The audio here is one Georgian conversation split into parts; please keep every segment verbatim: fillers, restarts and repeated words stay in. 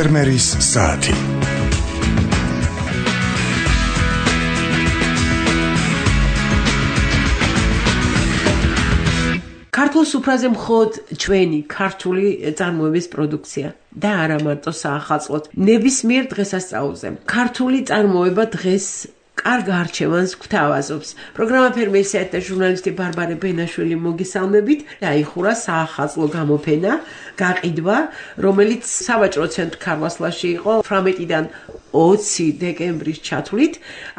ფერმერის საათი. ქართულ სუფრაზე მხოლოდ ჩვენი ქართული წარმოების პროდუქცია და არა მარტო საახალწლოდ. ნებისმიერ დღესასწაულზე ქართული წარმოება დღეს კარგ არჩევანს გვთავაზობს. პროგრამა ფერმერის საათი და ჟურნალისტი ბარბარე ბენაშვილი მოგესალმებით. დაიხურა საახალწლო გამოფენა, გაყიდვა, რომელიც სავაჭრო ცენტრ ქარვასლაში იყო თვრამეტიდან ოცი დეკემბრის ჩათვლით.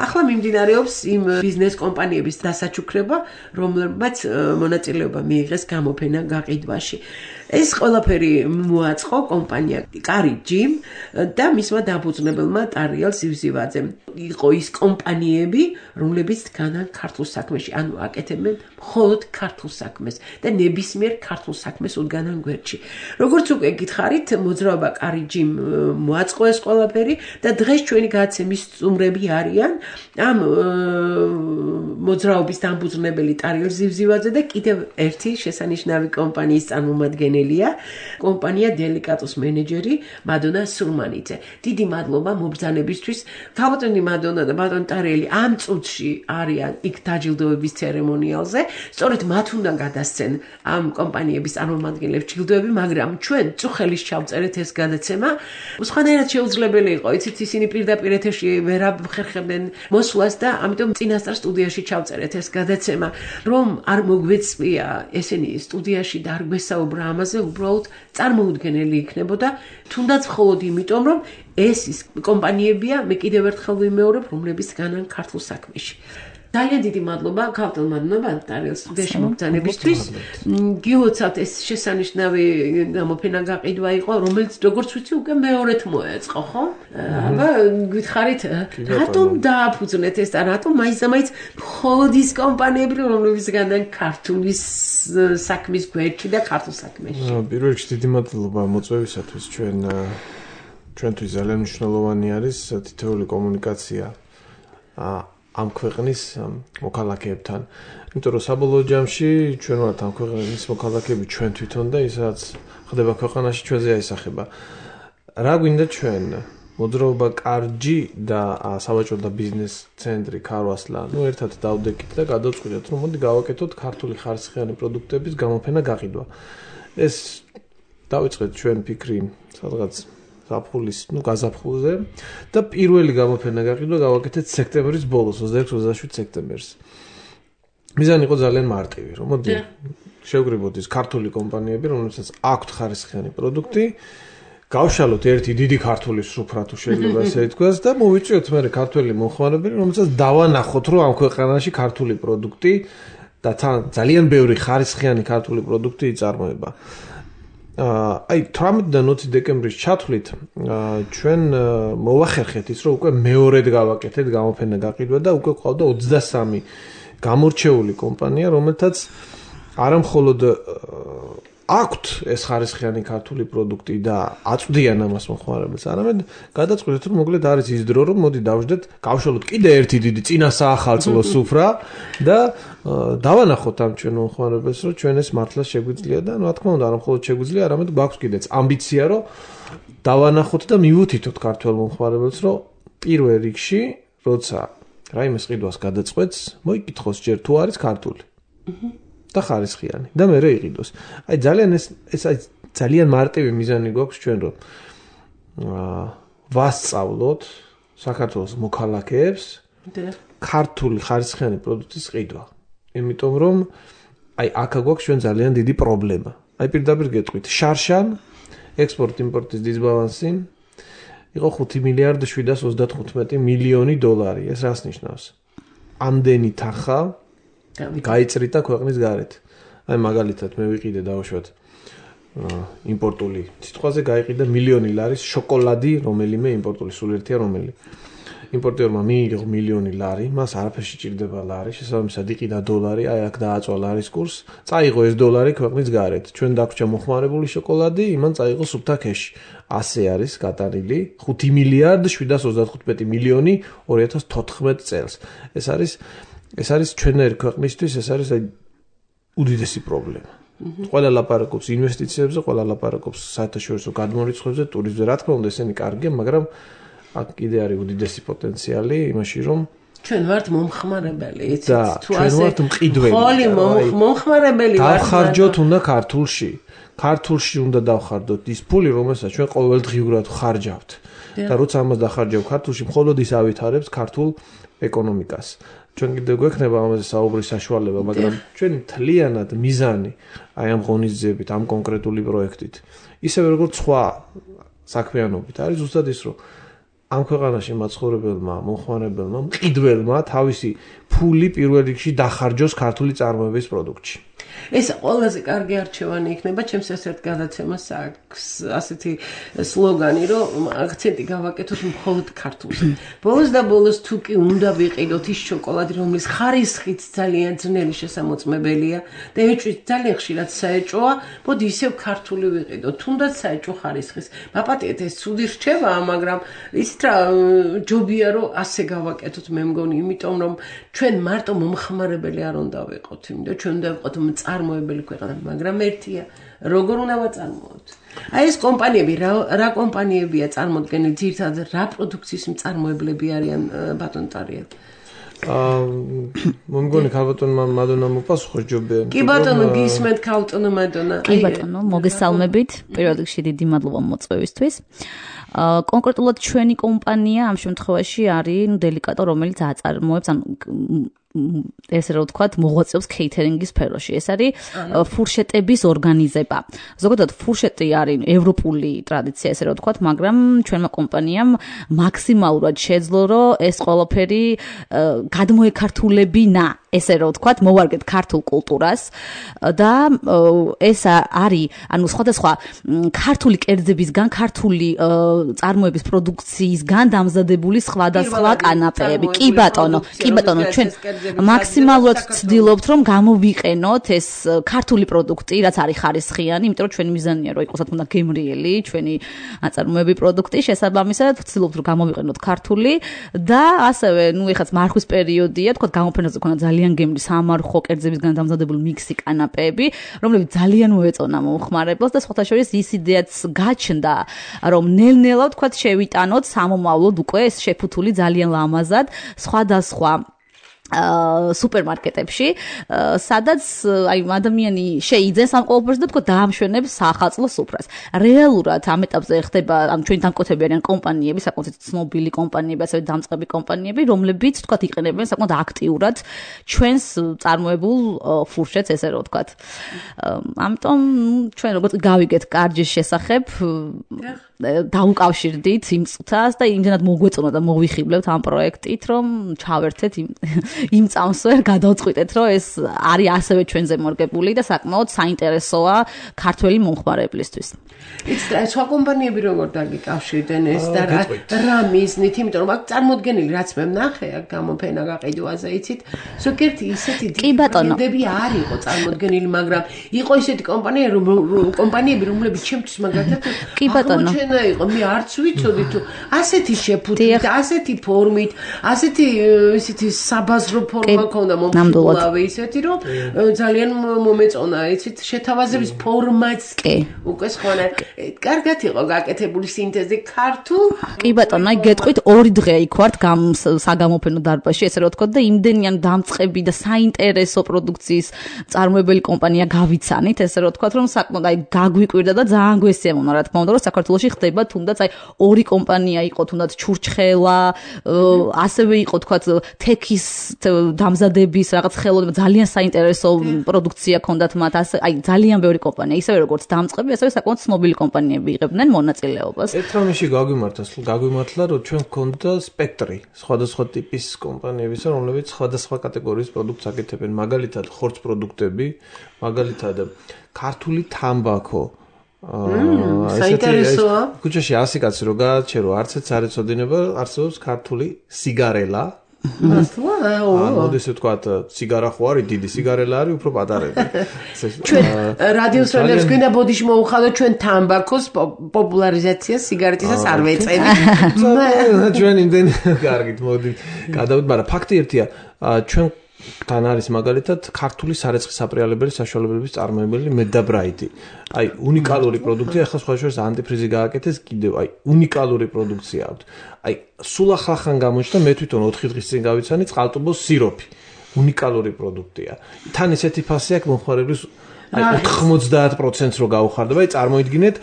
ახლა მიმდინარეობს იმ ბიზნეს კომპანიების დასაჩუქრება, რომლებმაც მონაწილეობა მიიღეს გამოფენა გაყიდვაში. ეს ყველაფერი მოაწყო კომპანია კარიჯიმ და მისმა დაფუძნებელმა ტარიელ ზივზივაძემ. იყო ის კომპანიები, რომლებიც დგანან ქართულ საქმეში, ანუ აკეთებენ მხოლოდ ქართულ საქმეს და ნებისმიერ ქართულ საქმეს უდგანან გვერდში. როგორც უკვე გითხარით, მოძრაობა კარიჯიმ მოაწყო ეს ყველაფერი და დღეს ჩვენი გადაცემის სტუმრები არიან ამ მოძრაობის დამფუძნებელი ტარიელ ზივზივაძე და კიდევ ერთი შესანიშნავი კომპანიის წარმომადგენელია, კომპანია დელიკატოს მენეჯერი მადონა სურმანიძე. დიდი მადლობა მობრძანებისთვის. თავმოწმე მადონა და ბატონ ტარიელი ამ წუთში არიან იქ დაჯილდოების ცერემონიალზე. სწორედ მათ უნდა გადასცენ ამ კომპანიების წარმომადგენლებს ჯილდოები, მაგრამ ჩვენ წუხელის ჩავწერეთ ეს გადაცემა. სხვანაირად შეუძლებელი იყო, იცით, ისინი პირდაპირ ეთერში ვერ ახერხებდნენ მოსვლას და ამიტომ წინასწარ სტუდიაში ჩავწერეთ ეს გადაცემა. რომ არ მოგვეწვია ესენი სტუდიაში და არ გვესაუბრა ამაზე, უბრალოდ წარმოუდგენელი იქნებოდა, თუნდაც მხოლოდ იმიტომ, რომ ეს ის კომპანიებია, მე კიდევ ერთხელ ვიმეორებ, რომლებიც დგანან ქართულ საქმეში. ძალიან დიდი მადლობა ქავტელმა ტარიელ სტუდიაში მოგზაურობისთვის. გილოცავთ, ეს შესანიშნავი გამოფენა გაყიდვა იყო, რომელიც როგორც ვიცი, უკვე მეორედ მოეწყო, ხო? აბა გითხარით, რატომ დააფუძნეთ ეს და რატომ მაინც-მაინც მხოლოდ ის კომპანიები, რომლებიც დგანან ქართული საქმის გვერდში და ქართულ საქმეში? პირველ რიგში დიდი მადლობა მოწვევისათვის. ჩვენ ჩვენთვის ძალიან მნიშვნელოვანი არის თითოეული კომუნიკაცია ამ ქვეყნის მოქალაქეებთან. იმიტომ რომ საბოლოო ჯამში ჩვენ ვართ ამ ქვეყნის მოქალაქეები ჩვენ თვითონ და ისაც ხდება ქვეყანაში ჩვენზე აისახება. რა გვინდა ჩვენ? მოძრაობა კარჯი და სავაჭრო და ბიზნეს ცენტრი ქარვასლა, ნუ ერთად დავდეკით და გადავწყვიტეთ, რომ მოდი გავაკეთოთ ქართული ხარისხიანი პროდუქტების გამოფენა გაყიდვა. ეს დავიწყეთ ჩვენ ფიქრი სადღაც ზაფხულის, ნუ გაზაფხულზე და პირველი გამოფენა გაყიდვა გავაკეთეთ სექტემბრის ბოლოს, ოცდაექვსი ოცდაშვიდ სექტემბერს. მიზანი იყო ძალიან მარტივი, რომ მოდი შევგრებოთ ის ქართული კომპანიები, რომელსაც აქვთ ხარისხიანი პროდუქტი, გავშალოთ ერთი დიდი ქართული სუფრა თუ შეიძლება ესე ითქვას და მოვიწვიოთ მე ქართველი მომხმარებელი, რომელსაც დავანახოთ, რომ ამ ქვეყანაში ქართული პროდუქტი და ძალიან ბევრი ხარისხიანი ქართული პროდუქტი იწარმოება. აი თვრამეტიდან ოცი დეკემბრის ჩათვლით ჩვენ მოვახერხეთ ის, რომ უკვე მეორედ გავაკეთეთ გამოფენა გაყიდვა და უკვე ყავდა ოცდასამი გამორჩეული კომპანია, რომელთაც არა მხოლოდ აქვთ ეს ხარისხიანი ქართული პროდუქტი და აწვდიან ამას მომხმარებელს, არამედ გადაწყვეტეთ, რომ მოკლედ არის ის დრო, რომ მოდი დავждეთ, გავშალოთ კიდე ერთი დიდი წინა საახალწლო სუფრა და დავანახოთ ამ ჩვენ მომხმარებელს, რომ ჩვენ ეს მართლა შეგვიძლია და რა თქმა უნდა, არა მხოლოდ შეგვიძლია, არამედ გვაქვს კიდეც ამბიცია, რომ დავანახოთ და მივუთითოთ ქართველ მომხმარებელს, რომ პირველ რიგში, როცა რაიმეს ყიდვას გადაწყვეტს, მოიკითხოს ჯერ თუ არის ქართული. და ხარისხიანი და მე რეიყიდოს. აი ძალიან ეს ეს აი ძალიან მარტივი მიზანი გვაქვს ჩვენ რომ აა ვასწავლოთ საქართველოს მოქალაქეებს ქართული ხარისხიანი პროდუქტის ყიდვა. იმიტომ რომ აი აქ გვაქვს ჩვენ ძალიან დიდი პრობლემა. აი პირდაპირ გეტყვით, შარშან ექსპორტ-იმპორტის დისბალანსი იყო ხუთი მილიარდი შვიდას ოცდათხუთმეტი მილიონი დოლარი. ეს რას ნიშნავს? ამდენი თანხა გაიწრიდა ქვეყნის გარეთ. აი მაგალითად მე ვიყიდე დავუშვათ იმპორტული სიტყვაზე გაიყიდა მილიონი ლარის შოკოლადი, რომელიმე იმპორტული სულ ერთია რომელი. იმპორტიორმა მიიღო მილიონი ლარი, მას არაფერში სჭირდება ლარი, შესაბამისად იყიდა დოლარი, აი აქ დააწვა ლარის კურს, წაიღო ეს დოლარი ქვეყნის გარეთ. ჩვენ დაგვრჩა მოხმარებული შოკოლადი, იმან წაიღო სუფთა ქეში. ასე არის გატანილი ხუთი მილიარდი შვიდას ოცდათხუთმეტი მილიონი ორი ათას თოთხმეტ წელს. ეს არის ეს არის ჩვენერი ქვეყნისთვის, ეს არის აი უდიდესი პრობლემა. ყველა ლაპარაკობს ინვესტიციებზე, ყველა ლაპარაკობს საერთაშორისო გადმორიცხვებზე, ტურიზმზე, რა თქმა უნდა, ესენი კარგია, მაგრამ აქ კიდე არის უდიდესი პოტენციალი იმაში, რომ ჩვენ ვართ მომხმარებელი, იცით? თუ ასე ჩვენ ვართ მყიდველი. ხოლი მომხმარებელი ვართ. დავხარჯოთ უნდა ქართულში. ქართულში უნდა დავხარდოთ ის ფული, რომელსაც ჩვენ ყოველდღიურად ხარჯავთ. და როცა ამას დახარჯავ ქართულში, მხოლოდ ის ავითარებს ქართულ ეკონომიკას. ჩვენ კიდევ გვექნება ამაზე საუბრის საშუალება, მაგრამ ჩვენი თლიანად მიზანი აი ამ ღონისძიებით, ამ კონკრეტული პროექტით, ისევე როგორც სხვა საქმიანობით არის ზუსტად ის, რომ ამ ქვეყანაში მაცხოვრებელმა, მომხმარებელმა, მყიდველმა თავისი ფული პირველ რიგში დახარჯოს ქართული წარმოების პროდუქტში. ეს ყველაზე კარგი არჩევანი იქნება, ჩემს ეს ერთ გადაცემას აქვს ასეთი სლოგანი, რომ აქცენტი გავაკეთოთ მხოლოდ ქართულზე. ბოლოს და ბოლოს თუ კი უნდა ვიყიდოთ ის შოკოლადი, რომლის ხარისხიც ძალიან ძნელი შესამოწმებელია და ეჭვით ძალიან ხშირად საეჭვოა, მოდი ისევ ქართული ვიყიდოთ, თუნდაც საეჭვო ხარისხის. მაპატიეთ, ეს ცუდი რჩევაა, მაგრამ იცით რა, ჯობია რომ ასე გავაკეთოთ, მე მგონი, იმიტომ რომ ჩვენ მარტო მომხმარებელი არ უნდა ვიყოთ, იმიტომ ჩვენ უნდა ვიყოთ წარმოებელი ქვეყანა, მაგრამ ერთია, როგორ უნდა ვაწარმოოთ. აი ეს კომპანიები, რა რა კომპანიებია წარმოდგენილი, ძირითადად რა პროდუქციის მწარმოებლები არიან ბატონ ტარია? აა მომგონი ქალბატონმა მადონა მოპასუხოს ჯობია. კი ბატონო, გისმენთ ქალბატონო მადონა. კი ბატონო, მოგესალმებით. პირველ რიგში დიდი მადლობა მოწვევისთვის. აა კონკრეტულად ჩვენი კომპანია ამ შემთხვევაში არის დელიკატო, რომელიც აწარმოებს ან ესე რომ ვთქვათ, მოღვაწეობს кейთერინგის სფეროში. ეს არის ფურშეტების ორგანიზება. ზოგადად ფურშეტი არის ევროპული ტრადიცია, ესე რომ ვთქვათ, მაგრამ ჩვენმა კომპანიამ მაქსიმალურად შეძლო, რომ ეს ყველაფერი გადმოეკართულებინა, ესე რომ ვთქვათ, მოვარგეთ ქართულ კულტურას და ეს არის, ანუ სხვადასხვა ქართული კერძებისგან, ქართული წარმოების პროდუქციისგან დამზადებული სხვადასხვა კანაპეები. კი ბატონო, კი ბატონო, ჩვენ მაქსიმალურად ვცდილობთ, რომ გამოვიყენოთ ეს ქართული პროდუქტი, რაც არის ხარისხიანი, იმიტომ რომ ჩვენი მიზანია, რომ იყოს რა თქმა უნდა გემრიელი, ჩვენი აწარმოები პროდუქტი, შესაბამისად ვცდილობთ, რომ გამოვიყენოთ ქართული და ასევე, ნუ ეხაც მარხვის პერიოდია, თქვა გამოფენაზე ქონა ძალიან გემრი სამარხო კერძებისგან დამზადებული მიქსი კანაპეები, რომლებიც ძალიან მოეწონა მომხმარებელს და სხვათა შორის ის იდეაც გაჩნდა, რომ ნელ-ნელა თქვა შევიტანოთ სამომავლოდ უკვე ეს შეფუთული ძალიან ლამაზად სხვადასხვა სუპერმარკეტებში, სადაც აი ადამიანი შეიძენს ამ ყოველფერს და თქო დაამშვენებს საახალწლო სუფრას. რეალურად ამ ეტაპზე ხდება, ანუ ჩვენი დამკვეთები არიან კომპანიები, საკმაოდ ცნობილი კომპანიები, ასევე დამწყები კომპანიები, რომლებიც თქო იყენებენ საკმაოდ აქტიურად ჩვენს წარმოებულ ფურშეტს, ესე რომ ვთქვათ. ამიტომ ჩვენ როგორც გავიგეთ კარჯის შესახებ დაუკავშირდით იმ წუთას და იმდენად მოგვეწონა და მოვიხიბლებთ ამ პროექტით, რომ ჩავერთეთ იმ იმ წამსვე გადავწყვიტეთ, რომ ეს არის ასევე ჩვენზე მორგებული და საკმაოდ საინტერესოა ქართველი მომხმარებლისთვის. იცით, სხვა კომპანიები როგორ დაგიკავშირდნენ ეს და რა მიზნით, იმიტომ რომ აქ წარმოდგენილი რაც მე ვნახე, აქ გამოფენა გაყიდვაზე, იცით, ზოგიერთი ისეთი ბრენდები არ იყო წარმოდგენილი, მაგრამ იყო ისეთი კომპანია, კომპანიები, რომლებიც ჩემთვის მაგალითად კი ბატონო იყო, მე არც ვიცოდი თუ ასეთი შეფუთვით, ასეთი ფორმით, ასეთი ისეთი საბაზრო ფორმა ქონდა მომხმარებლავი ისეთი, რომ ძალიან მომეწონა, იცით, შეთავაზების ფორმაც კი უკვე სხვანაირ. კარგად იყო გაკეთებული სინთეზი ქართულ. კი ბატონო, აი გეტყვით ორი დღე იქ ვართ საგამოფენო დარბაზში, ესე რომ ვთქვათ და იმდენიან დამწყები და საინტერესო პროდუქციის წარმოებელი კომპანია გავიცანით, ესე რომ ვთქვათ, რომ საკმაოდ აი გაგვიკვირდა და ძალიან გვესიამონა, რა თქმა უნდა, რომ საქართველოში ხდება თუნდაც აი ორი კომპანია იყო, თუნდაც ჩურჩხელა, ასევე იყო თქვათ თექის დამზადების რაღაც ხელოვნება, ძალიან საინტერესო პროდუქცია ქონდათ მათ, ასე აი ძალიან ბევრი კომპანია, ისევე როგორც დამწყები, ასევე საკმაოდ ცნობილი კომპანიები იღებდნენ მონაწილეობას. ერთ რამეში გაგვიმართლა, გაგვიმართლა, რომ ჩვენ გქონდა სპექტრი სხვადასხვა ტიპის კომპანიებისა, რომლებიც სხვადასხვა კატეგორიის პროდუქტს აკეთებენ, მაგალითად ხორცს პროდუქტები, მაგალითად ქართული თამბაქო. აა საინტერესოა. ქუჩაში ასი კაცი რო გააჩერო, არც ერთ არ ეცოდინება, არსებობს ქართული სიგარელა. მართლა? აა, მოდი ესე ვთქვათ, სიგარა ხო არის დიდი, სიგარელა არის უფრო პატარები. ჩვენ რადიოს როლებს გვინდა ბოდიში მოუხადოთ ჩვენ თამბაქოს პოპულარიზაციას სიგარეტისას არ ვეწენით. ჩვენ იმდენ კარგით მოდი გადავიდეთ, მაგრამ ფაქტი ერთია, ჩვენ თან არის მაგალითად ქართული სარეცხი საპრიალებელი საშუალებების წარმოებელი მედაბრაიტი. აი უნიკალური პროდუქტია, ახლა სხვა შორის ანტიფრიზი გააკეთეს კიდევ, აი უნიკალური პროდუქცია აქვს. აი სულ ახლახან გამოჩნდა მე თვითონ ოთხი დღის წინ გავიცანი წყალტუბოს სიროფი. უნიკალური პროდუქტია. თან ისეთი ფასი აქვს მომხმარებლის აი ოთხმოცდაათ პროცენტს რო გაუხარდება, აი წარმოიდგინეთ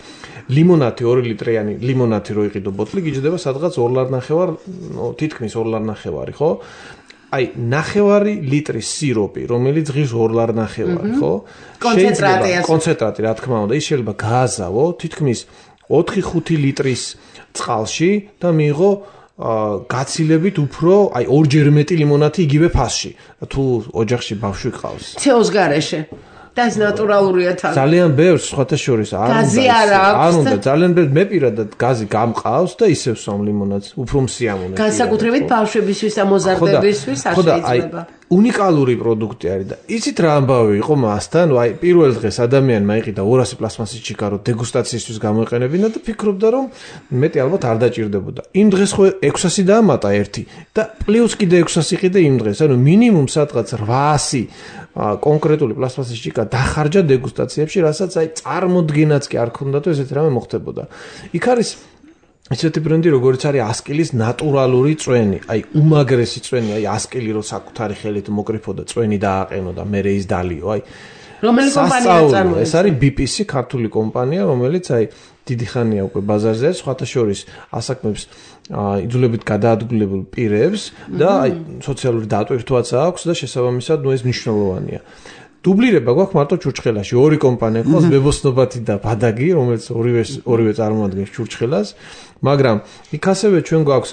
ლიმონათი ორი ლიტრიანი ლიმონათი რო იყიდო ბოთლი გიჯდება სადღაც ორ ლარ ნახევარ, თითქმის ორ ლარ ნახევარი, ხო? აი ნახევარი ლიტრის სიროპი, რომელიც ღირს ორ ლარ ნახევარი, ხო? კონცენტრატია. კონცენტრატი, რა თქმა უნდა, ის შეიძლება გააზავო თითქმის ოთხი ხუთი ლიტრის წყალში და მიიღო გაცილებით უფრო, აი ორჯერ მეტი ლიმონათი იგივე ფასში. თუ ოჯახში ბავშვი ყავს. ცეოს გარეშე. და ეს ნატურალურია თან. ძალიან ბევრს სხვათა შორის არ უნდა. გაზი არ აქვს. არ უნდა, ძალიან ბევრ მე პირადად გაზი გამყავს და ისევ სვამ ლიმონადს, უფრო მსიამოვნე. განსაკუთრებით ბავშვებისთვის და მოზარდებისთვის არ შეიძლება. უნიკალური პროდუქტი არის და იცით რა ამბავი იყო მასთან? აი პირველ დღეს ადამიანმა იყიდა ორასი პლასმასის ჩიქარო დეგუსტაციისთვის გამოეყენებინა და ფიქრობდა რომ მეტი ალბათ არ დაჭირდებოდა. იმ დღეს ხო ექვსასი დაამატა ერთი და პლუს კიდე ექვსასი იყიდა იმ დღეს. ანუ მინიმუმ სადღაც რვაასი კონკრეტული პლასმასის ჩიქა დახარჯა დეგუსტაციებში, რასაც აი წარმოდგენაც კი არ ქონდათ, ესეთი რამე მოხდებოდა. იქ არის ისეთი ბრენდი, როგორც არის ასკილის ნატურალური წვენი, აი უმაგრესი წვენი, აი ასკილი რო საკუთარი ხელით მოკრიფოდა წვენი დააყენო და მერე ის დალიო, აი რომელი კომპანია წარმოადგენს? ეს არის ბი პი სი, ქართული კომპანია, რომელიც აი დიდი ხანია უკვე ბაზარზე, სხვათა შორის ასაკმებს იძულებით გადაადგილებულ პირებს და აი სოციალური დატვირთვაც აქვს და შესაბამისად ნუ ეს მნიშვნელოვანია. დუბლირება გვაქვს მარტო ჩურჩხელაში, ორი კომპანია ყავს, ბებოსნობათი და ბადაგი, რომელიც ორივე ორივე წარმოადგენს ჩურჩხელას, მაგრამ იქ ასევე ჩვენ გვაქვს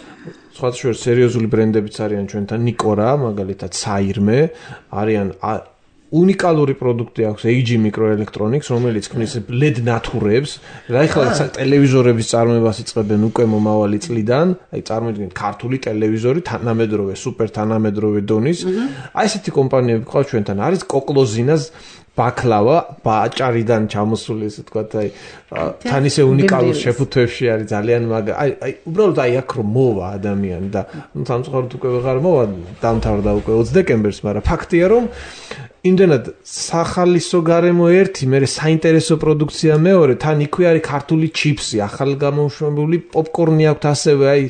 სხვათა შორის სერიოზული ბრენდებიც არიან ჩვენთან, ნიკორა, მაგალითად საირმე, არიან უნიკალური პროდუქტი აქვს ეი ჯი Microelectronics, რომელიც ქმნის ლედ ნათურებს, და ეხლა ტელევიზორების წარმოებას იწყებენ უკვე მომავალი წლიდან, აი წარმოიდგინეთ ქართული ტელევიზორი თანამედროვე, სუპერ თანამედროვე დონის. აი ესეთი კომპანიები ყავს ჩვენთან, არის კოკლოზინას ბაკლავა, ბაჭარიდან ჩამოსული, ესე ვთქვათ, აი თან ისე უნიკალურ შეფუთვებში არის ძალიან მაგარი. აი აი უბრალოდ აი აქ რომ მოვა ადამიანი და სამწუხაროდ უკვე ვეღარ მოვა, დამთავრდა უკვე ოცი დეკემბერს, მაგრამ ფაქტია რომ იმდენად სახალისო გარემო ერთი, მე საინტერესო პროდუქცია მეორე, თან იქვე არის ქართული ჩიფსი, ახალგამომშვენებელი პოპკორნი აქვს ასევე, აი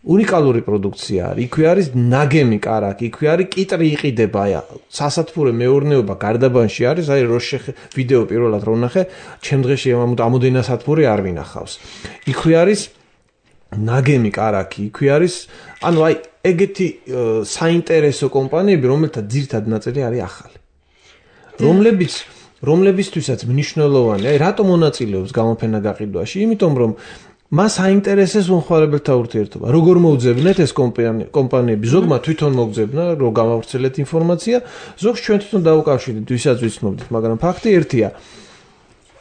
უნიკალური პროდუქცია არის. იქვე არის ნაგემი კარაკი, იქვე არის კიტრი იყიდება, აი სასათბურე მეურნეობა გარდაბანში არის, აი რო ვიდეო პირველად რო ვნახე, ჩემ დღეში ამოდენა სათბური არ ვინახავს. იქვე არის ნაგემი კარაკი, იქვე არის, ანუ აი ეგეთი საინტერესო კომპანიები, რომელთა ძირითად ნაწილი არის ახალი. რომლებიც რომლებისთვისაც მნიშვნელოვანია, აი რატომ მონაწილეობს გამოფენა გაყიდვაში? იმიტომ რომ მას აინტერესებს მომხმარებელთა ურთიერთობა. როგორ მოუძებნეთ ეს კომპანიები? ზოგმა თვითონ მოგძებნა, რომ გამავრცელეთ ინფორმაცია, ზოგს ჩვენ თვითონ დავუკავშირდით, ვისაც ვიცნობდით, მაგრამ ფაქტი ერთია.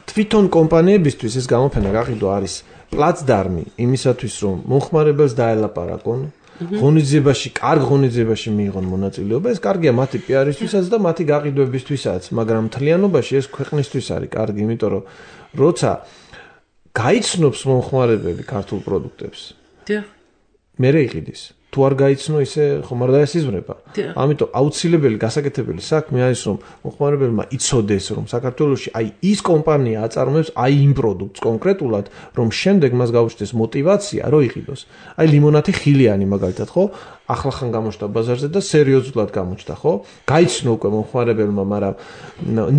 თვითონ კომპანიებისთვის ეს გამოფენა გაყიდვა არის პლაცდარმი იმისათვის, რომ მომხმარებელს დაელაპარაკონ, ღონისძიებაში, კარგ ღონისძიებაში მიიღონ მონაწილეობა. ეს კარგია მათი პი არ-ისთვისაც და მათი გაყიდვებისთვისაც, მაგრამ მთლიანობაში ეს ქვეყნისთვის არის კარგი, იმიტომ რომ როცა გაიცნობს მომხმარებელი ქართულ პროდუქტებს. დიახ. მერე იყიდის. თუ არ გაიცნო, ისე ხომ არ დაესიზმრება. ამიტომ აუცილებელი გასაკეთებელი საქმე არის, რომ მომხმარებელმა იცოდეს, რომ საქართველოში აი ის კომპანია აწარმოებს აი იმ პროდუქტს კონკრეტულად, რომ შემდეგ მას გაუჩნდეს мотиваცია, რომ იყიდოს. აი ლიმონათი ხილიანი მაგალითად, ხო? ახლახან გამოჩნდა ბაზარზე და სერიოზულად გამოჩნდა, ხო? გაიცნო უკვე მომხმარებელმა, მაგრამ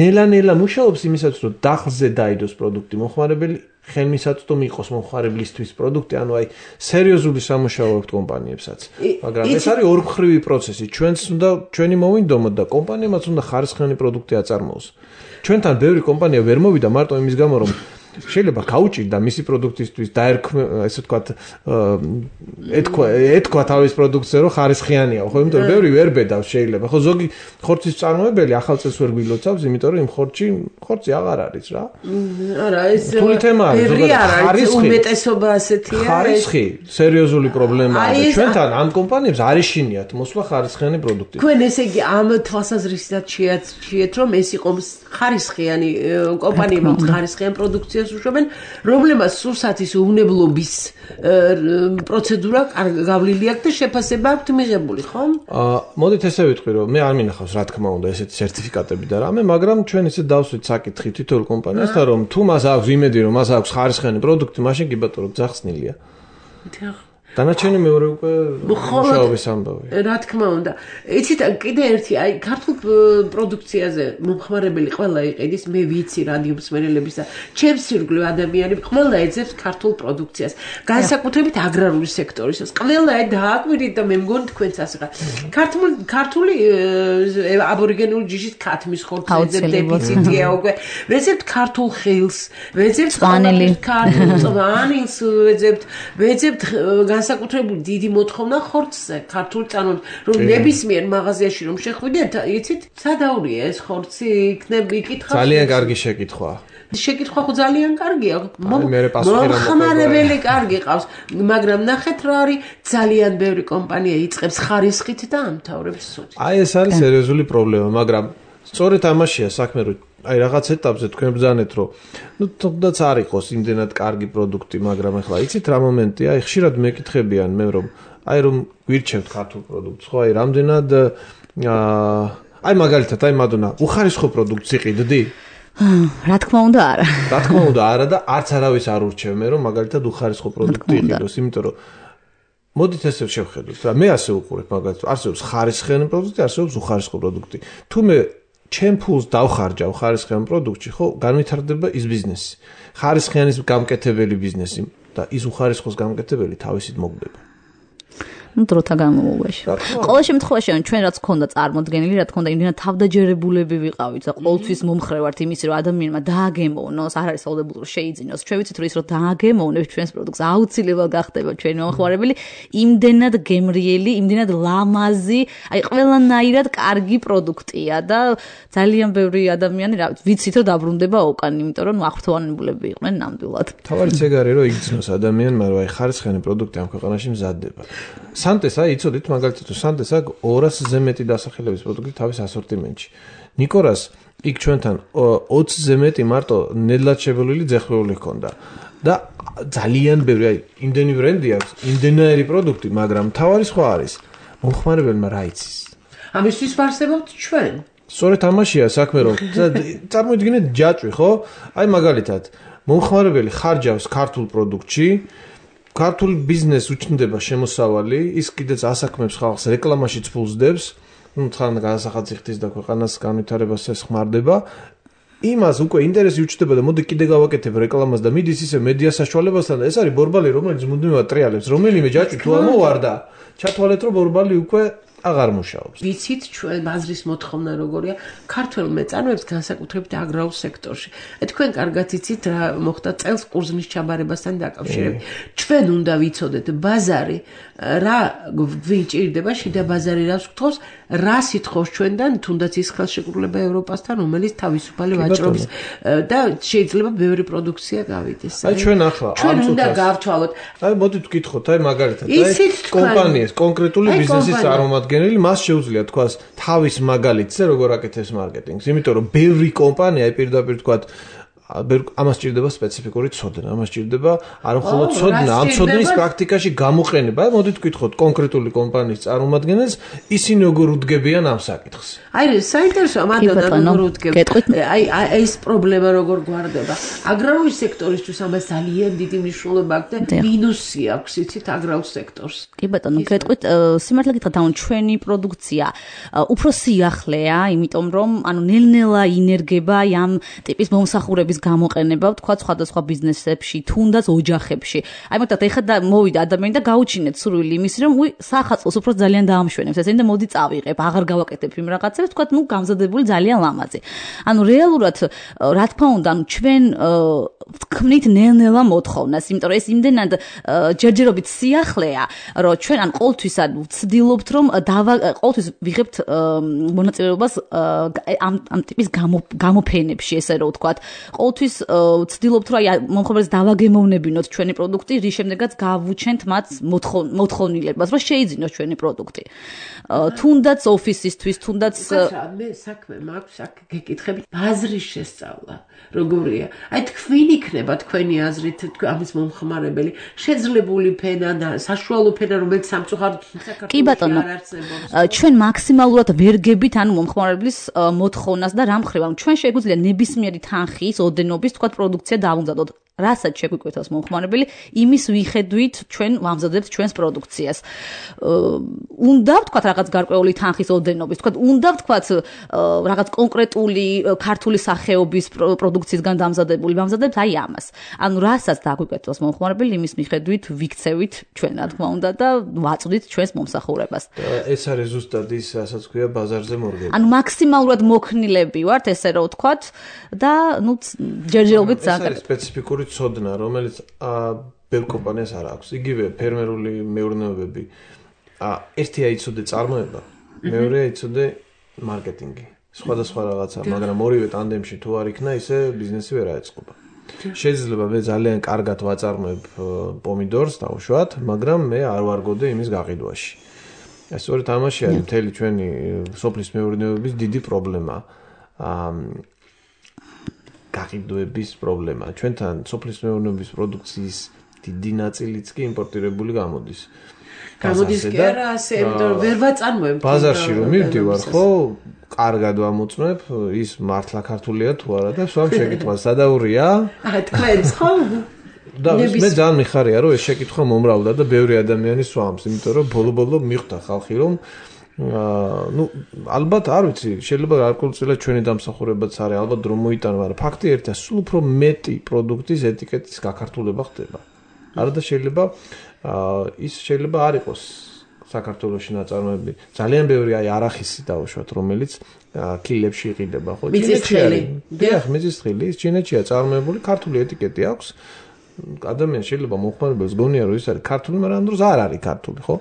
ნელა-ნელა მუშაობს იმისათვის, რომ დახლზე დაიდოს პროდუქტი მომხმარებელი ხელმისაწვდომი იყოს მომხმარებლისთვის პროდუქტი, ანუ აი სერიოზული სამუშაო აქვს კომპანიებსაც. მაგრამ ეს არის ორმხრივი პროცესი. ჩვენც უნდა ჩვენი მოვინდომოთ და კომპანიებმაც უნდა ხარისხიანი პროდუქტი აწარმოოს. ჩვენთან ბევრი კომპანია ვერ მოვიდა მარტო იმის გამო, რომ შეიძლება გაუჭირდა მისი პროდუქტისთვის დაერქვა, ესე ვთქვათ, ეთქვა, ეთქვა თავის პროდუქციაზე, რომ ხარისხიანია, ხო, იმიტომ რომ ბევრი ვერ ბედავს შეიძლება. ხო, ზოგი ხორცის წარმოებელი ახალ წელს ვერ გვილოცავს, იმიტომ რომ იმ ხორცი, ხორცი აღარ არის რა. არა, ეს თული თემაა, ზოგადად ხარისხი, უმეტესობა ასეთია. ხარისხი სერიოზული პრობლემაა და ჩვენთან ამ კომპანიებს არ ეშინიათ მოსვლა ხარისხიანი პროდუქტი. თქვენ ესე იგი ამ თვალსაზრისით შეეცდიეთ, რომ ეს იყო ხარისხიანი კომპანიებმა ხარისხიან პროდუქციას პროცედურას უშვებენ, რომლებმაც სულსაც ის უვნებლობის პროცედურა გავლილი აქვს და შეფასება აქვს მიღებული, ხო? აა, მოდით ესე ვიტყვი, რომ მე არ მინახავს, რა თქმა უნდა, ესეთი სერტიფიკატები და რამე, მაგრამ ჩვენ ისე დავსვით საკითხი თითოეულ კომპანიასთან, რომ თუ მას აქვს იმედი, რომ მას აქვს ხარისხიანი პროდუქტი, მაშინ კი ბატონო ძახსნილია. დანარჩენი მეორე უკვე მუშაობის ამბავი. რა თქმა უნდა. იცით, კიდე ერთი, აი, ქართულ პროდუქციაზე მომხმარებელი ყველა იყიდის, მე ვიცი რადიომსმენელების და ჩემს ირგვლივ ადამიანები ყველა ეძებს ქართულ პროდუქციას. განსაკუთრებით აგრარული სექტორისას. ყველა დააკვირდით და მე მგონი თქვენც ასე ხარ. ქართული ქართული აბორიგენული ჯიშის ქათმის ხორცს ეძებთ, დეფიციტია უკვე. ვეძებთ ქართულ ხილს, ვეძებთ ქართულ წვანილს, ვეძებთ, ვეძებთ განსაკუთრებული დიდი მოთხოვნა ხორცზე, ქართულ წანოდ, რომ ნებისმიერ მაღაზიაში რომ შეხვიდეთ, იცით, სადაურია ეს ხორცი, იქნებ იკითხავს. ძალიან კარგი შეკითხვა. შეკითხვა ხო ძალიან კარგია. მომხმარებელი კარგი ყავს, მაგრამ ნახეთ რა არის, ძალიან ბევრი კომპანია იწყებს ხარისხით და ამთავრებს სუდით. აი ეს არის სერიოზული პრობლემა, მაგრამ სწორედ ამაშია საქმე, რომ აი რაღაც ეტაპზე თქვენ ბრძანეთ, რომ ნუ თუნდაც არ იყოს იმდენად კარგი პროდუქტი, მაგრამ ახლა იცით რა მომენტია, აი ხშირად მეკითხებიან მე რომ აი რომ გვირჩევთ ქართულ პროდუქტს, ხო, აი რამდენად აი მაგალითად აი მადონა, უხარისხო პროდუქტს იყიდდი? რა თქმა უნდა არა. რა თქმა უნდა არა და არც არავის არ ურჩევ მე რომ მაგალითად უხარისხო პროდუქტი იყიდოს, იმიტომ რომ მოდით ესე შევხედოთ რა, მე ასე უყურებ მაგალითად, არსებობს ხარისხიანი პროდუქტი, არსებობს უხარისხო პროდუქტი. თუ მე ჩემ ფულს დავხარჯავ ხარისხიან პროდუქტში, ხო, განვითარდება ის ბიზნესი. ხარისხიანის გამკეთებელი ბიზნესი და ის უხარისხოს გამკეთებელი თავისით მოგდება. ну დროთა განმავლობაში. ყოველ შემთხვევაში ჩვენ რაც გქონდა წარმოდგენილი, რა თქმა უნდა, იმდენად თავდაჯერებულები ვიყავით და ყოველთვის მომხრე ვართ იმის, რომ ადამიანმა დააგემოვნოს, არ არის საუბრობთ რომ შეიძინოს. ჩვენ ვიცით რომ ის რომ დააგემოვნებს ჩვენს პროდუქტს, აუცილებლად გახდება ჩვენი მომხმარებელი, იმდენად გემრიელი, იმდენად ლამაზი, აი ყველანაირად კარგი პროდუქტია და ძალიან ბევრი ადამიანი რა ვიცით რომ დაბრუნდება უკან, იმიტომ რომ ახრთოვანებულები იყვნენ ნამდვილად. თავარიც ეგ არის რომ იგრძნოს ადამიანმა რომ აი ხარისხიანი პროდუქტი ამ ქვეყანაში მზადდება. სანტეს აი იცოდით მაგალითად სანტეს აქ ორასზე მეტი დასახელების პროდუქტი თავის ასორტიმენტში. ნიკორას იქ ჩვენთან ოცზე მეტი მარტო ნედლად შებოლილი ძეხვრეული ჰქონდა. და ძალიან ბევრი აი იმდენი ბრენდი აქვს, იმდენაერი პროდუქტი, მაგრამ თავარი სხვა არის. მომხმარებელმა რა იცის? ამისთვის ვარსებობთ ჩვენ. სწორედ ამაშია საქმე რომ წარმოიდგინეთ ჯაჭვი, ხო? აი მაგალითად მომხმარებელი ხარჯავს ქართულ პროდუქტში ქართულ ბიზნესს უჩნდება შემოსავალი, ის კიდეც ასაქმებს ხალხს, რეკლამაშიც ფულს დებს, ну თან განსახალხის და ქვეყანას განვითარებას ესხმარდება. იმას უკვე ინტერესი უჩნდება და მოდი კიდე გავაკეთებ რეკლამას და მიდის ისე მედია საშუალებასთან და ეს არის ბორბალი, რომელიც მუდმივად ტრიალებს, რომელიმე ჯაჭვი თუ ამოვარდა, ჩათვალეთ რომ ბორბალი უკვე აღარ მუშაობს. ვიცით ჩვენ ბაზრის მოთხოვნა როგორია ქართველ მეწარმეებს განსაკუთრებით აგრარულ სექტორში. თქვენ კარგად იცით რა მოხდა წელს ყურძნის ჩაბარებასთან დაკავშირებით. ჩვენ უნდა ვიცოდეთ ბაზარი რა გვიჭირდება, შიდა ბაზარი რას გთხოვს, რა სიტყავს ჩვენთან, თუნდაც ის ხელშეკრულება ევროპასთან, რომელიც თავისუფალი ვაჭრობის და შეიძლება ბევრი პროდუქცია გავიდეს. აი ჩვენ ახლა ჩვენ უნდა გავთვალოთ. აი მოდით ვკითხოთ, აი მაგალითად, აი კომპანიის კონკრეტული ბიზნესის წარმომადგენელი მას შეუძლია თქვას თავის მაგალითზე როგორ აკეთებს მარკეტინგს, იმიტომ რომ ბევრი კომპანია აი პირდაპირ თქვათ ამას ჭირდება სპეციფიკური ცოდნა, ამას ჭირდება არა მხოლოდ ცოდნა, ამ ცოდნის პრაქტიკაში გამოყენება. აი მოდით ვკითხოთ კონკრეტული კომპანიის წარმომადგენელს, ისინი როგორ უდგებიან ამ საკითხს. აი საინტერესოა მანდანა როგორ უდგებთ. აი ეს პრობლემა როგორ გვარდება. აგრარული სექტორისთვის ამას ძალიან დიდი მნიშვნელობა აქვს და მინუსი აქვს იცით აგრარულ სექტორს. კი ბატონო, გეტყვით, სიმართლე გითხრათ, ანუ ჩვენი პროდუქცია უფრო სიახლეა, იმიტომ რომ ანუ ნელ-ნელა ინერგება ამ ტიპის მომსახურების გამოყენება, თქვა სხვადასხვა ბიზნესებში, თუნდაც ოჯახებში. აი მაგათ ეხლა მოვიდა ადამიანი და გაუჩინეთ სურვილი იმის, რომ უი სახალხოს უფრო ძალიან დაამშვენებს ესენი და მოდი წავიღებ, აღარ გავაკეთებ იმ რაღაცებს, თქვა ნუ გამზადებული ძალიან ლამაზი. ანუ რეალურად რა თქმა უნდა, ანუ ჩვენ ვქმნით ნელ-ნელა მოთხოვნას, იმიტომ რომ ეს იმდენად ჯერჯერობით სიახლეა, რომ ჩვენ ან ყოველთვის ან ვცდილობთ, რომ ყოველთვის ვიღებთ მონაწილეობას ამ ამ ტიპის გამოფენებში, ესე რომ ვთქვათ. ყოველთვის ვცდილობთ რომ აი მომხმარებელს დავაგემოვნებინოთ ჩვენი პროდუქტი, რის შემდეგაც გავუჩენთ მათ მოთხოვნილებას, რომ შეიძინოს ჩვენი პროდუქტი. თუნდაც ოფისისთვის, თუნდაც მე საქმე მაქვს აქ გეკითხებით აზრის შესწავლა. როგორია? აი თქვენ იქნება თქვენი აზრით ამის მომხმარებელი შეძლებული ფენა და საშუალო ფენა, რომელიც სამწუხაროდ კი ბატონო, ჩვენ მაქსიმალურად ვერ გებით ანუ მომხმარებლის მოთხოვნას და რა მხრივ, ანუ ჩვენ შეგვიძლია ნებისმიერი თანხის ოდენობის თქვა პროდუქცია დავუმზადოთ. რასაც შეგვიკვეთავს მომხმარებელი, იმის მიხედვით ჩვენ ვამზადებთ ჩვენს პროდუქციას. უნდა ვთქვათ რაღაც გარკვეული თანხის ოდენობის, ვთქვათ, უნდა ვთქვათ რაღაც კონკრეტული ქართული სახეობის პროდუქციისგან დამზადებული ვამზადებთ აი ამას. ანუ რასაც დაგვიკვეთავს მომხმარებელი, იმის მიხედვით ვიქცევით ჩვენ, რა თქმა უნდა და ვაწვდით ჩვენს მომსახურებას. ეს არის ზუსტად ის, რასაც ქვია ბაზარზე მორგება. ანუ მაქსიმალურად მოქნილები ვართ, ესე რომ ვთქვათ და ნუ ჯერჯერობით ზაგარ. ეს სპეციფიკური ცოდნა, რომელიც ბევრ კომპანიას არ აქვს. იგივე ფერმერული მეურნეობები. ერთი აიცოდე წარმოება, მეორე აიცოდე მარკეტინგი. სხვადასხვა რაღაცა, მაგრამ ორივე ტანდემში თუ არ იქნა, ისე ბიზნესი ვერ აეწყობა. შეიძლება მე ძალიან კარგად ვაწარმოებ პომიდორს, დავუშვათ, მაგრამ მე არ ვარგოდე იმის გაყიდვაში. ეს სწორედ ამაში არის მთელი ჩვენი სოფლის მეურნეობის დიდი პრობლემა. გაყიდვების პრობლემა. ჩვენთან სოფლის მეურნეობის პროდუქციის დიდი ნაწილიც კი იმპორტირებული გამოდის. გამოდის კი არა, ასე, იმიტომ რომ ვერ ვაწარმოებ. ბაზარში რომ მივდივარ, ხო, კარგად ვამოწმებ, ის მართლა ქართულია თუ არა და სვამ შეკითხვა სადაურია? აა, თქვენს ხო? და მე ძალიან მიხარია, რომ ეს შეკითხვა მომრავლდა და ბევრი ადამიანი სვამს, იმიტომ რომ ბოლო-ბოლო მიხვდა ხალხი, რომ აა ნუ ალბათ არ ვიცი, შეიძლება გარკვეულწილად ჩვენი დამსახურებაც არის, ალბათ რომ მოიტანა, მაგრამ ფაქტი ერთია, სულ უფრო მეტი პროდუქტის ეტიკეტის გაქართულება ხდება. არა და შეიძლება აა ის შეიძლება არ იყოს საქართველოში ნაწარმოები. ძალიან ბევრი აი არახისი დავუშვათ, რომელიც კილებში იყიდება, ხო? მიწისთხილი. დიახ, მიწისთხილი, ის ჩინეთშია წარმოებული, ქართული ეტიკეტი აქვს. ადამიანს შეიძლება მომხმარებელს გონია რომ ის არის ქართული, მაგრამ ამ დროს არ არის ქართული, ხო?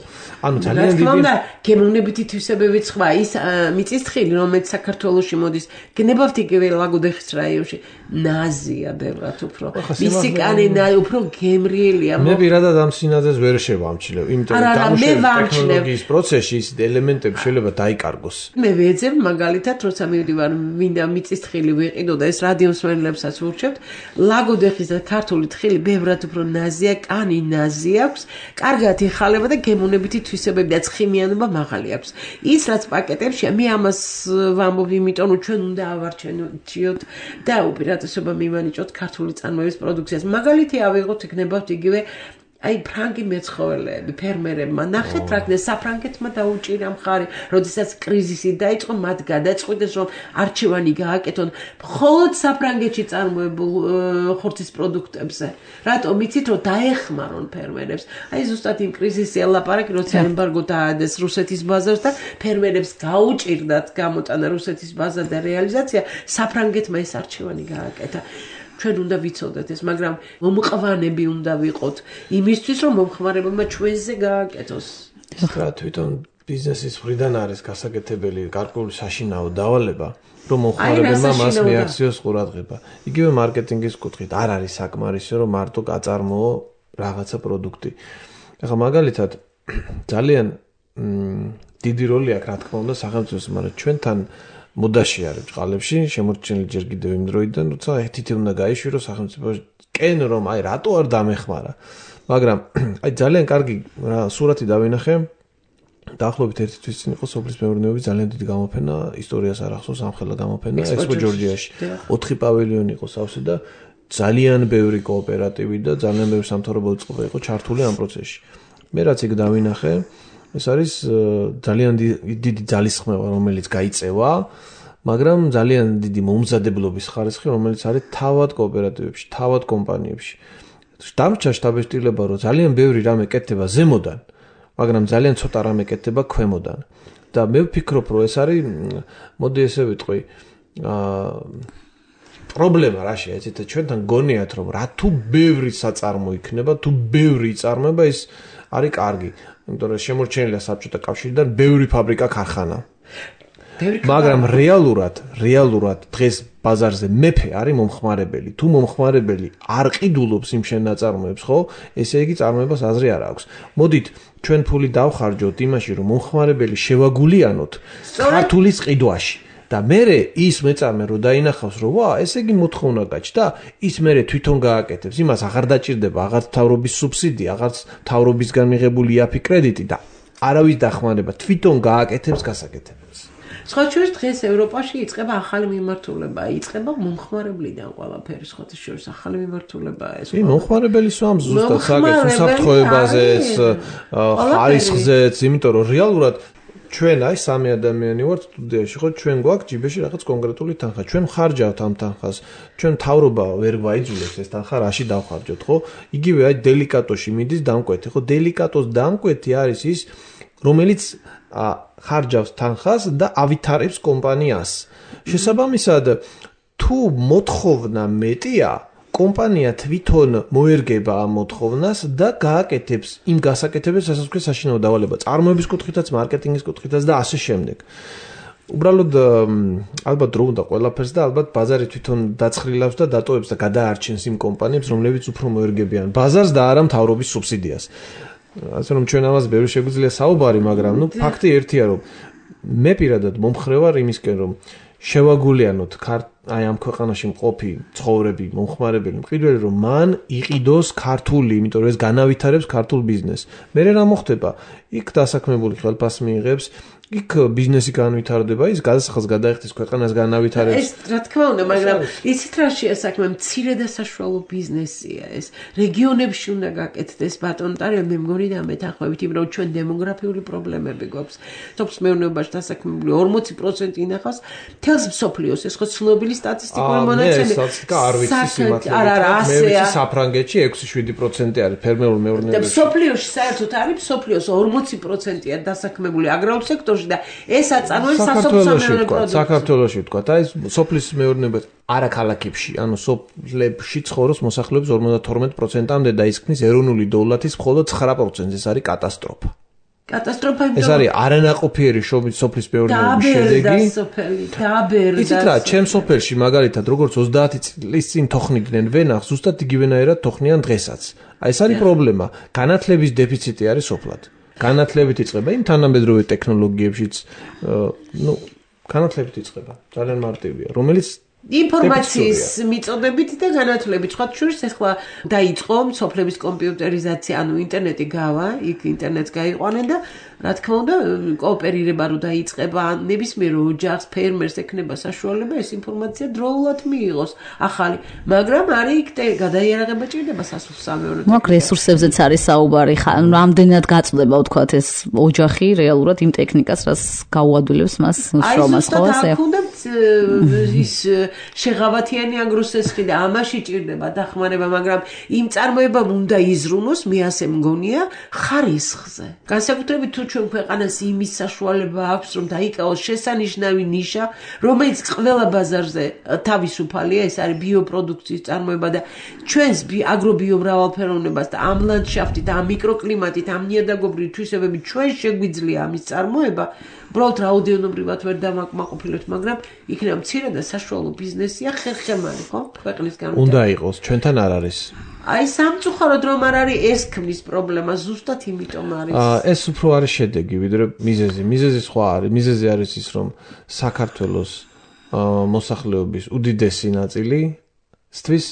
ანუ ძალიან დიდი. რა თქმა უნდა, გემოვნებითი თვისებები სხვა ის მიწისთხილი, რომელიც საქართველოში მოდის, გნებავთ იგივე ლაგოდეხის რაიონში, ნაზია ბევრად უფრო. მისი კანი უფრო გემრიელია. მე პირადად ამ სინაძეს ვერ შევამჩნევ, იმიტომ რომ დამუშავების ტექნოლოგიის პროცესში ის ელემენტები შეიძლება დაიკარგოს. მე ვეძებ მაგალითად, როცა მივდივარ, მინდა მიწისთხილი ვიყიდო და ეს რადიომსმენელებსაც ვურჩევთ, ლაგოდეხის და ქართული თხილი ბევრად უფრო ნაზია, კანი ნაზი აქვს, კარგად იხალება და გემოვნებითი თვისებები და ცხიმიანობა მაღალი აქვს. ის რაც პაკეტებშია, მე ამას ვამბობ, იმიტომ რომ ჩვენ უნდა ავარჩენოთ და უპირატესობა მივანიჭოთ ქართული წარმოების პროდუქციას. მაგალითი ავიღოთ, იქნებათ იგივე აი ფრანგი მეცხოველეები, ფერმერებმა ნახეთ რა ქნა საფრანგეთმა დაუჭირა მხარი, როდესაც კრიზისი დაიწყო, მათ გადაწყვიტეს რომ არჩევანი გააკეთონ მხოლოდ საფრანგეთში წარმოებულ ხორცის პროდუქტებზე. რატომ იცით რომ დაეხმარონ ფერმერებს? აი ზუსტად იმ კრიზისი ელაპარაკი, როცა ემბარგო დაადეს რუსეთის ბაზარს და ფერმერებს გაუჭირდათ გამოტანა რუსეთის ბაზარ და რეალიზაცია, საფრანგეთმა ეს არჩევანი გააკეთა. ჩვენ უნდა ვიცოდეთ ეს, მაგრამ მომყვანები უნდა ვიყოთ იმისთვის, რომ მომხმარებელმა ჩვენზე გააკეთოს. რა თვითონ ბიზნესის მხრიდან არის გასაკეთებელი გარკვეული საშინაო დავალება, რომ მომხმარებელმა მას მიაქციოს ყურადღება. იგივე მარკეტინგის კუთხით არ არის საკმარისი, რომ მარტო გაწარმოო რაღაცა პროდუქტი. ახლა მაგალითად ძალიან დიდი როლი აქვს, რა თქმა უნდა, სახელმწიფოს, მაგრამ ჩვენთან მოდაში არის ბჭყალებში, შემორჩენილი ჯერ კიდევ იმ დროიდან, როცა ეთითი უნდა გაიშვირო სახელმწიფო კენ რომ აი რატო არ დამეხმარა. მაგრამ აი ძალიან კარგი სურათი დავინახე. დაახლოებით ერთი თვის წინ იყო სოფლის მეურნეობის ძალიან დიდი გამოფენა, ისტორიას არ ახსოვს, ამხელა გამოფენა ექსპო ჯორჯიაში. ოთხი პავილიონი იყო სავსე და ძალიან ბევრი კოოპერატივი და ძალიან ბევრი სამთავრობო წყობა იყო ჩართული ამ პროცესში. მე რაც იქ დავინახე, ეს არის ძალიან დიდი ძალისხმევა, რომელიც გაიწევა, მაგრამ ძალიან დიდი მომზადებლობის ხარისხი, რომელიც არის თავად კოოპერატივებში, თავად კომპანიებში. დამრჩა შტაბ-ეშტილება, რომ ძალიან ბევრი რამე კეთდება ზემოდან, მაგრამ ძალიან ცოტა რამე კეთდება ქვემოდან. და მე ვფიქრობ, რომ ეს არის, მოდი ესე ვიტყვი, აა პრობლემა რაშია, ეცეთ ჩვენთან გონიათ, რომ რა თუ ბევრი საწარმო იქნება, თუ ბევრი იწარმოება, ის არის კარგი. იმიტომ რომ შემორჩენილია საბჭოთა კავშირიდან ბევრი ფაბრიკა ქარხანა. მაგრამ რეალურად, რეალურად დღეს ბაზარზე მეფე არის მომხმარებელი. თუ მომხმარებელი არ ყიდულობს იმ შენ ნაწარმოებს, ხო? ესე იგი წარმოებას აზრი არ აქვს. მოდით ჩვენ ფული დავხარჯოთ იმაში, რომ მომხმარებელი შევაგულიანოთ ქართულის ყიდვაში. და მერე ის მეწარმე რო დაინახავს, რომ ვა, ესე იგი მოთხოვნა გაჩნდა, ის მერე თვითონ გააკეთებს. იმას აღარ დაჭირდება აღარც მთავრობის სუბსიდია, აღარც მთავრობისგან მიღებული იაფი კრედიტი და არავის დახმარება, თვითონ გააკეთებს გასაკეთებელს. სხვა შორის დღეს ევროპაში იწყება ახალი მიმართულება, იწყება მომხმარებლიდან ყველაფერი, სხვა შორის ახალი მიმართულებაა ეს. კი, მომხმარებელი სვამს ზუსტად საკეთს უსაფრთხოებაზეც, ხარისხზეც, იმიტომ რომ რეალურად ჩვენ აი სამი ადამიანი ვართ სტუდიაში, ხო, ჩვენ გვაქვს ჯიბეში რაღაც კონკრეტული თანხა. ჩვენ ხარჯავთ ამ თანხას. ჩვენ მთავრობა ვერ გვაიძულებს ეს თანხა რაში დავხარჯოთ, ხო? იგივე აი დელიკატოში მიდის დამკვეთი, ხო? დელიკატოს დამკვეთი არის ის, რომელიც ხარჯავს თანხას და ავითარებს კომპანიას. შესაბამისად, თუ მოთხოვნა მეტია, კომპანია თვითონ მოერგება ამ მოთხოვნას და გააკეთებს იმ გასაკეთებებს, რასაც ქვია საშინაო დავალება, წარმოების კუთხითაც, მარკეტინგის კუთხითაც და ასე შემდეგ. უბრალოდ ალბათ დრო უნდა ყველაფერს და ალბათ ბაზარი თვითონ დაცხრილავს და დატოვებს და გადაარჩენს იმ კომპანიებს, რომლებიც უფრო მოერგებიან ბაზარს და არა მთავრობის სუბსიდიას. ასე რომ ჩვენ ამას ბევრი შეგვიძლია საუბარი, მაგრამ ნუ ფაქტი ერთია, რომ მე პირადად მომხრე ვარ იმისკენ, რომ შევაგულიანოთ აი ამ ქვეყანაში მყოფი ცხოვრები, მომხმარებელი, მყიდველი, რომ მან იყიდოს ქართული, იმიტომ რომ ეს განავითარებს ქართულ ბიზნესს. მერე რა მოხდება? იქ დასაქმებული ხელფასს მიიღებს, იქ ბიზნესი განვითარდება, ის გადასახადს გადაიხდის ქვეყანას განავითარებს. ეს რა თქმა უნდა, მაგრამ იცით რა შეასაქმე, მცირე და საშუალო ბიზნესია ეს. რეგიონებში უნდა გაკეთდეს ბატონო ტარიო, მე მგონი და მეთანხმებით, იმიტომ რომ ჩვენ დემოგრაფიული პრობლემები გვაქვს. სოფლის მეურნეობაში დასაქმებული ორმოცი პროცენტი ინახავს მთელს მსოფლიოს, ეს ხო ცნობილი სტატისტიკური მონაცემი. ეს სტატისტიკა არ ვიცი სიმართლე. არა, არა, ასეა. მე საფრანგეთში ექვსი შვიდი პროცენტი არის ფერმერულ მეურნეობაში. და მსოფლიოში საერთოდ არის მსოფლიოს ორმოცი პროცენტია დასაქმებული აგრარულ სექტორში და ეს აწარმოებს სასოფლო-სამეურნეო პროდუქტს. საქართველოში ვთქვა, აი სოფლის მეურნეობა არა ქალაქებში, ანუ სოფლებში ცხოვრობს მოსახლეობის ორმოცდათორმეტ პროცენტამდე დაისქმნის ეროვნული დოვლათის მხოლოდ ცხრა პროცენტი. ეს არის კატასტროფა. კატასტროფა ეს არის არანაყოფიერი სოფლის მეურნეობის შედეგი. დააბერდა სოფელი, დააბერდა. იცით რა, ჩემ სოფელში მაგალითად როგორც ოცდაათი წლის წინ თოხნიდნენ ვენახს, ზუსტად იგივენაირად თოხნიან დღესაც. აი ეს არის პრობლემა. განათლების დეფიციტი არის სოფლად. განათლებით იწყება იმ თანამედროვე ტექნოლოგიებშიც, ნუ განათლებით იწყება. ძალიან მარტივია, რომელიც ინფორმაციის მიწოდებით და განათლებით. სხვა შორის ახლა დაიწყო სოფლების კომპიუტერიზაცია, ანუ ინტერნეტი გავა, იქ ინტერნეტს გაიყვანენ და რა თქმა უნდა, კოოპერირება რო დაიწყება, ნებისმიერ ოჯახს, ფერმერს ექნება საშუალება ეს ინფორმაცია დროულად მიიღოს. ახალი, მაგრამ არის იქ გადაიარაღება ჭირდება სასოფლო-სამეურნეო. მაგ რესურსებზეც არის საუბარი, რამდენად გაწდება ვთქვათ ეს ოჯახი რეალურად იმ ტექნიკას, რაც გაუადვილებს მას შრომას, ხო ასე? აი, ზუსტად ის შეღავათიანი აგროსესხი და ამაში ჭირდება დახმარება, მაგრამ იმ წარმოებამ უნდა იზრუნოს, მე ასე მგონია, ხარისხზე. განსაკუთრებით თუ ჩვენ ქვეყანას იმის საშუალება აქვს, რომ დაიკავოს შესანიშნავი ნიშა, რომელიც ყველა ბაზარზე თავისუფალია, ეს არის ბიოპროდუქციის წარმოება და ჩვენს აგრობიომრავალფეროვნებას და ამ ლანდშაფტით, ამ მიკროკლიმატით, ამ ნიადაგობრივი თვისებებით ჩვენ შეგვიძლია ამის წარმოება. უბრალოდ რაოდენობრივად ვერ დამაკმაყოფილოთ, მაგრამ იქნება მცირე და საშუალო ბიზნესია ხერხემალი, ხო? ქვეყნის განვითარება. უნდა იყოს, ჩვენთან არ არის. აი სამწუხაროდ რომ არ არის ეს ქმნის პრობლემა, ზუსტად იმიტომ არის. აა ეს უფრო არის შედეგი, ვიდრე მიზეზი. მიზეზი სხვა არის. მიზეზი არის ის, რომ საქართველოს მოსახლეობის უდიდესი ნაწილი სტვის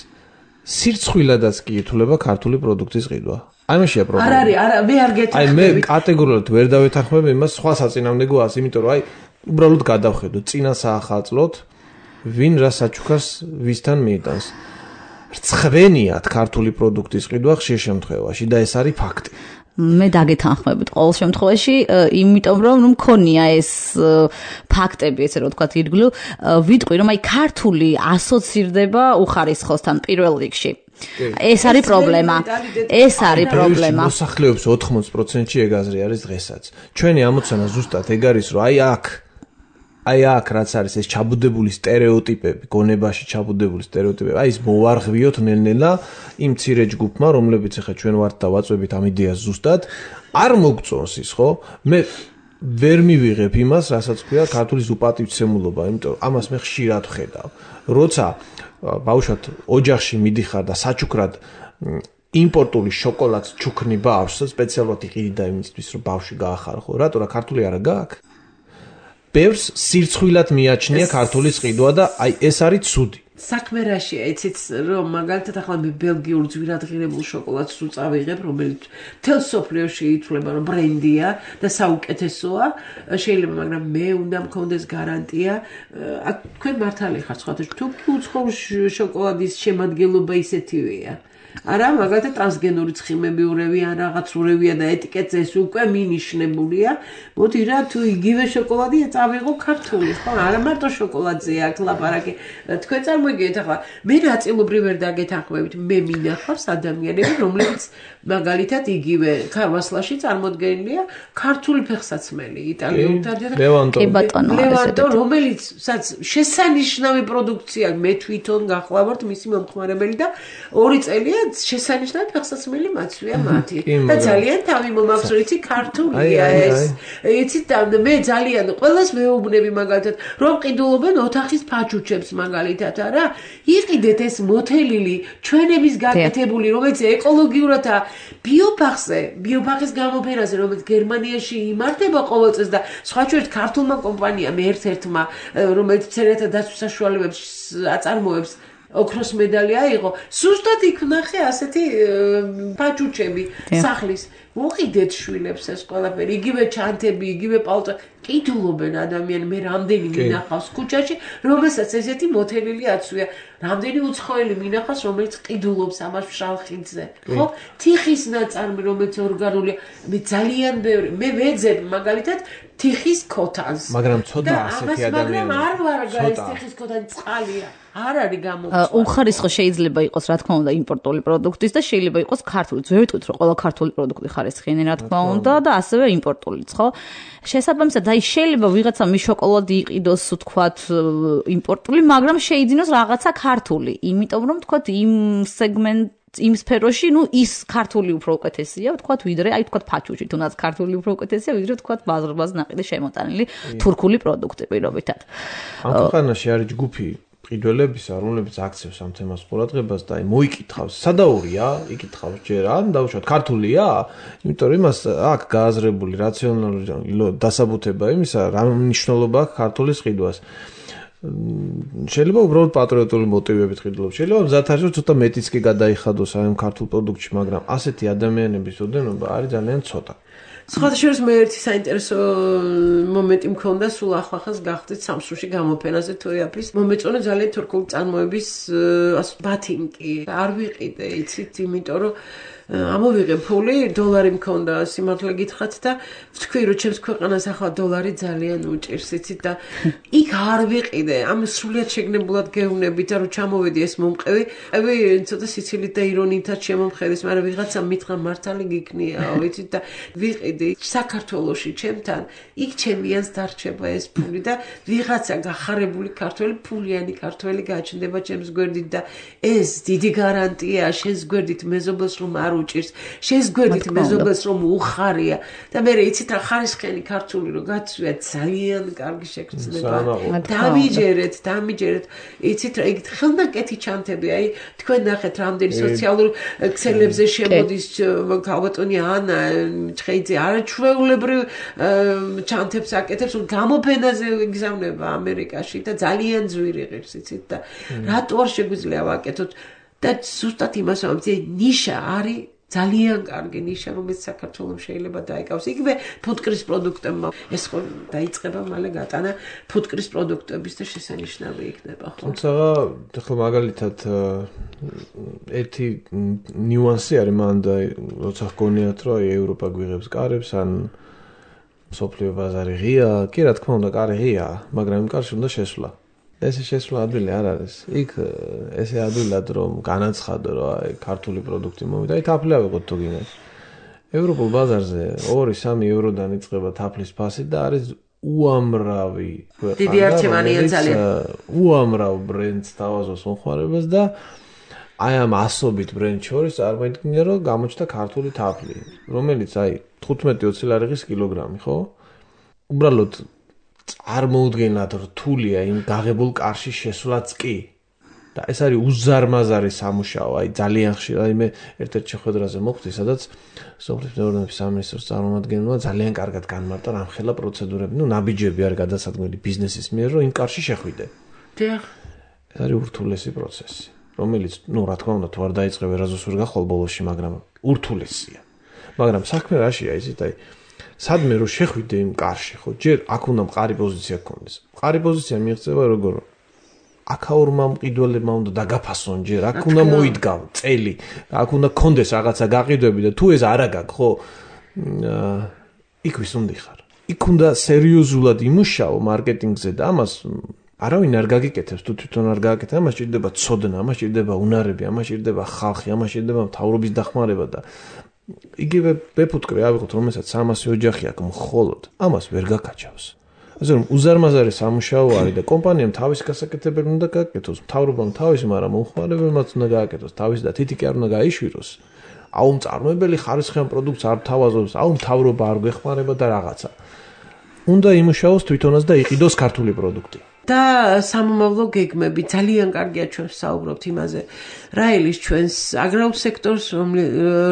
სირცხვილადაც კი ითვლება ქართული პროდუქტის ყიდვა. აი მაშია პრობლემა. არ არის, არა, მე არ გეთანხმები. აი მე კატეგორიულად ვერ დავეთანხმები იმას სხვა საწინააღმდეგოას, იმიტომ რომ აი უბრალოდ გადავხედოთ, წინა საახალწლოდ ვინ რა საჩუქარს ვისთან მიიტანს. რცხვენიათ ქართული პროდუქტის ყიდვა ხშირ შემთხვევაში და ეს არის ფაქტი. მე დაგეთანხმებით ყოველ შემთხვევაში, იმიტომ რომ ნუ მქონია ეს ფაქტები, ესე რომ ვთქვათ, ირგვლივ, ვიტყვი რომ აი ქართული ასოცირდება უხარისხოსთან პირველ რიგში. ეს არის პრობლემა. ეს არის პრობლემა. მოსახლეობის ოთხმოცი პროცენტი ეგ აზრი არის დღესაც. ჩვენი ამოცანა ზუსტად ეგ არის, რომ აი აქ აი აქ რაც არის ეს ჩაბუდებული სტერეოტიპები, გონებაში ჩაბუდებული სტერეოტიპები, აი ეს მოვარღვიოთ ნელ-ნელა იმ მცირე ჯგუფმა, რომლებიც ახლა ჩვენ ვართ და ვაწვევით ამ იდეას ზუსტად, არ მოგწონს ის, ხო? მე ვერ მივიღებ იმას, რასაც ქვია ქართული უპატივცემულობა, იმიტომ ამას მე ხშირად ვხედავ. როცა ბავშვად ოჯახში მიდიხარ და საჩუქრად იმპორტული შოკოლადს ჩუქნი ბავშვს, სპეციალურად იყიდი და იმისთვის რომ ბავშვი გაახარო, რატო რა ქართული არა გაქვს? ბევრს სირცხვილად მიაჩნია ქართული ყიდვა და აი ეს არის ცუდი. საქმე რაშია, იცით რომ მაგალითად ახლა მე ბელგიურ ძვირადღირებულ შოკოლადს უწავიღებ, რომელიც მთელ სოფლიოში ითვლება რომ ბრენდია და საუკეთესოა, შეიძლება, მაგრამ მე უნდა მქონდეს გარანტია, აქ თქვენ მართალი ხართ, სხვათა თუ უცხოურ შოკოლადის შემადგენლობა ისეთივეა. არა, მაგალითად ტრანსგენური ცხიმებიურები ან რაღაცურებია და ეტიკეტზე ეს უკვე მინიშნებულია. მოდი რა, თუ იგივე შოკოლადია წავიღო ქართული, ხო? არა მარტო შოკოლადზე აქ ლაპარაკი. თქვენ წარმოგიდგენთ ახლა, მე ნაწილობრივ ვერ დაგეთანხმებით, მე მინახავს ადამიანები, რომლებიც მაგალითად იგივე ქარვასლაში წარმოდგენილია ქართული ფეხსაცმელი, იტალიურთან და ლევანტო, რომელიც შესანიშნავი პროდუქცია, მე თვითონ გახლავართ მისი მომხმარებელი და ორი წელია შესანიშნავი ფეხსაცმელი მაცვია მათი და ძალიან თავი მომაქვს რომ იცი ქართულია ეს იცით და მე ძალიან ყველას მეუბნები მაგალითად რომ ყიდულობენ ოთახის ფაჩუჩებს მაგალითად არა იყიდეთ ეს მოთელილი ჩვენების გაკეთებული რომელიც ეკოლოგიურადაა ბიოფახზე ბიოფახის გამოფენაზე რომელიც გერმანიაში იმართება ყოველ წელს და სხვა ჩვენთ ქართულმა კომპანიამ ერთ-ერთმა რომელიც მცენარეთა დაცვის საშუალებებს აწარმოებს ოქროს მედალი აიღო, სუსტად იქ ვნახე ასეთი ფაჩუჩები სახლის. უყიდეთ შვილებს ეს ყველაფერი, იგივე ჩანთები, იგივე პალტო, ყიდულობენ ადამიანი, მე რამდენი მინახავს ქუჩაში, რომელსაც ესეთი მოთელილი აცვია. რამდენი უცხოელი მინახავს, რომელიც ყიდულობს ამას შალხიძე. ხო? თიხის ნაწარმი, რომელიც ორგანულია, მე ძალიან ბევრი, მე ვეძებ მაგალითად თიხის ქოთანს. მაგრამ ცოტა ასეთი ადამიანები. მაგრამ არ ვარ გაის თიხის ქოთანი წყალია. არ არის გამოწვა. უხარისხო შეიძლება იყოს, რა თქმა უნდა, იმპორტული პროდუქტის და შეიძლება იყოს ქართული. ვერ ვიტყვით, რომ ყველა ქართული პროდუქტი ხარისხიანი, რა თქმა უნდა, და ასევე იმპორტულიც, ხო? შესაბამისად, აი შეიძლება ვიღაცა მის შოკოლადი იყიდოს, ვთქვათ, იმპორტული, მაგრამ შეიძინოს რაღაცა ქართული, იმიტომ რომ ვთქვათ, იმ სეგმენტ იმ სფეროში, ну, ის ქართული უფრო უკეთესია, ვთქვათ, ვიდრე, აი, ვთქვათ, ფაჩუჩი, თუნდაც ქართული უფრო უკეთესია, ვიდრე, ვთქვათ, ბაზრბაზ ნაყიდე შემოტანილი თურქული პროდუქტი პირობითად. ამ ქვეყანაში არის ჯგუფი ყიდველებისა, რომლებიც აქცევს ამ თემას ყურადღებას და აი მოიკითხავს, სადაურია, იკითხავს ჯერ, ან დავუშვათ, ქართულია? იმიტომ რომ იმას აქ გააზრებული რაციონალური დასაბუთება იმისა, რა მნიშვნელობა აქვს ქართულის ყიდვას. შეიძლება უბრალოდ პატრიოტული მოტივებით ყიდულობს. შეიძლება მზად არის, რომ ცოტა მეტიც კი გადაიხადოს ამ ქართულ პროდუქტში, მაგრამ ასეთი ადამიანების ოდენობა არის ძალიან ცოტა. სხვათა შორის მე ერთი საინტერესო მომენტი მქონდა სულ ახლახანს გახდით სამსრუში გამოფენაზე თოიაფის მომეწონა ძალიან თურქული წარმოების ბათინკი არ ვიყიდე იცით იმიტომ რომ ამოვიღე ფული დოლარი მქონდა სიმართლე გითხრათ და ვთქვი რომ ჩემს ქვეყანას ახლა დოლარი ძალიან უჭირს იცით და იქ არ ვიყიდე ამ სრულიად შეგნებულად გეუბნებით რომ ჩამოვედი ეს მომყევი ევი ცოტა სიცილით და ირონიითაც შემომხედეს მაგრამ ვიღაცა მითხრა მართალი გიქნიაო იცით და ვიყიდე საქართველოში ჩემთან იქ ჩემიანს დარჩება ეს ფული და ვიღაცა გახარებული ქართველი ფულიანი ქართველი გაჩნდება ჩემს გვერდით და ეს დიდი გარანტია შენს გვერდით მეზობელს რომ არ უჭირს შენს გვერდით მეზობელს რომ უხარია და მე იცით რა ხარისხიანი ქართული რომ გაცვია ძალიან კარგი შეგრძნება დამიჯერეთ დამიჯერეთ იცით რა იგივე ხელნაკეთი ჩანთები აი თქვენ ნახეთ რამდენი სოციალურ ქსელებზე შემოდის ქალბატონი ანა ჭხეიძე არაჩვეულებრივ ჩანთებს აკეთებს რომ გამოფენაზე იგზავნება ამერიკაში და ძალიან ძვირი ღირს იცით და რატო არ შეგვიძლია ვაკეთოთ და ზუსტად იმას ვამბობ ნიშა არის ძალიან კარგი ნიშა რომელიც საქართველოს შეიძლება დაიკავს იგივე ფუტკრის პროდუქტებმა ეს ხო დაიწყება მალე გატანა ფუტკრის პროდუქტების და შესანიშნავი იქნება ხო თუმცა ახლა მაგალითად ერთი ნიუანსი არის მანდა როცა გქონიათ რომ ევროპა გვიღებს კარებს ან სოფლიო ბაზარი ღია კი რა თქმა უნდა კარი ღია მაგრამ იმ კარში უნდა შესვლა ესე შესვლა ადვილი არ არის. იქ ესე ადვილად რომ განაცხადო რომ აი ქართული პროდუქტი მომიდა. აი თაფლი ავიღოთ თუ გინდათ. ევროპულ ბაზარზე ორი სამი ევროდან იწყება თაფლის ფასი და არის უამრავი ქვეყანა. დიდი არჩევანია ძალიან. უამრავ ბრენდს თავაზობს მომხმარებას და აი ამ ასობით ბრენდ შორის წარმოიდგინე რომ გამოჩნდა ქართული თაფლი, რომელიც აი თხუთმეტი ოცი ლარიღის კილოგრამი, ხო? უბრალოდ წარმოუდგენლად რთულია იმ გაღებულ კარში შესვლაც კი. და ეს არის უზარმაზარი სამუშაო, აი ძალიან ხშირად, აი მე ერთ-ერთ შეხვედრაზე მოხვდი, სადაც სოფლის მეურნეობის სამინისტროს წარმომადგენელმა ძალიან კარგად განმარტა რამხელა პროცედურები, ну ნაბიჯები არის გადასადგმელი ბიზნესის მიერ, რომ იმ კარში შეხვიდე. დიახ. ეს არის ურთულესი პროცესი, რომელიც, ну რა თქმა უნდა, თუ არ დაიწყე ვერაზოს ვერ გახვალ ბოლოსში, მაგრამ ურთულესია. მაგრამ საქმე რაშია, იცით, აი სადმე რომ შეხვიდე იმ კარში, ხო, ჯერ აქ უნდა მყარი პოზიცია გქონდეს. მყარი პოზიცია მიიღწევა როგორ აქაურმა მყიდველებმა უნდა დაგაფასონ ჯერ, აქ უნდა მოიდგავ წელი, აქ უნდა გქონდეს რაღაცა გაყიდვები და თუ ეს არა გაქვს, ხო, იქ ვის უნდა ხარ. იქ უნდა სერიოზულად იმუშაო მარკეტინგზე და ამას არავინ არ გაგიკეთებს, თუ თვითონ არ გააკეთე, ამას ჭირდება ცოდნა, ამას ჭირდება უნარები, ამას ჭირდება ხალხი, ამას ჭირდება მთავრობის დახმარება და იგივე ბეფუტკრე ავიღოთ, რომელსაც სამასი ოჯახი აქვს მხოლოდ, ამას ვერ გაკაჩავს. ასე რომ უზარმაზარი სამუშაო არის და კომპანიამ თავის გასაკეთებელი უნდა გააკეთოს, მთავრობამ თავისი, მაგრამ მომხმარებელმაც უნდა გააკეთოს, თავისი და თითი კი არ უნდა გაიშვიროს. აუ მწარმოებელი ხარისხიან პროდუქტს არ თავაზობს, აუ მთავრობა არ გვეხმარება და რაღაცა. უნდა იმუშაოს თვითონაც და იყიდოს ქართული პროდუქტი. და სამომავლო გეგმები ძალიან კარგია ჩვენ ვსაუბრობთ იმაზე. რა ელის ჩვენს აგრარულ სექტორს,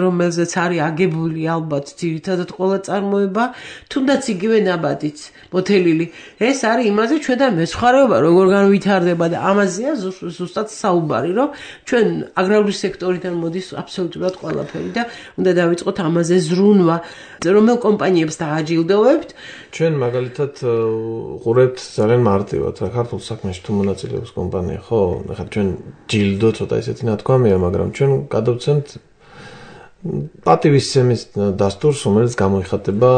რომელზეც არის აგებული ალბათ ძირითადად ყველა წარმოება, თუნდაც იგივე ნაბადიც, მოთელილი. ეს არის იმაზე ჩვენ და მეცხვარეობა როგორ განვითარდება და ამაზეა ზუსტად საუბარი, რომ ჩვენ აგრარული სექტორიდან მოდის აბსოლუტურად ყველაფერი და უნდა დავიწყოთ ამაზე ზრუნვა, რომელ კომპანიებს დააჯილდოვებთ. ჩვენ მაგალითად ყურებთ ძალიან მარტივად რა ქართულ საქმეში თუ მონაწილეობს კომპანია, ხო? ახლა ჩვენ ჯილდო ცოტა ისეთი ნათქვამია, მაგრამ ჩვენ გადავცემთ პატივისცემის დასტურს, რომელიც გამოიხატება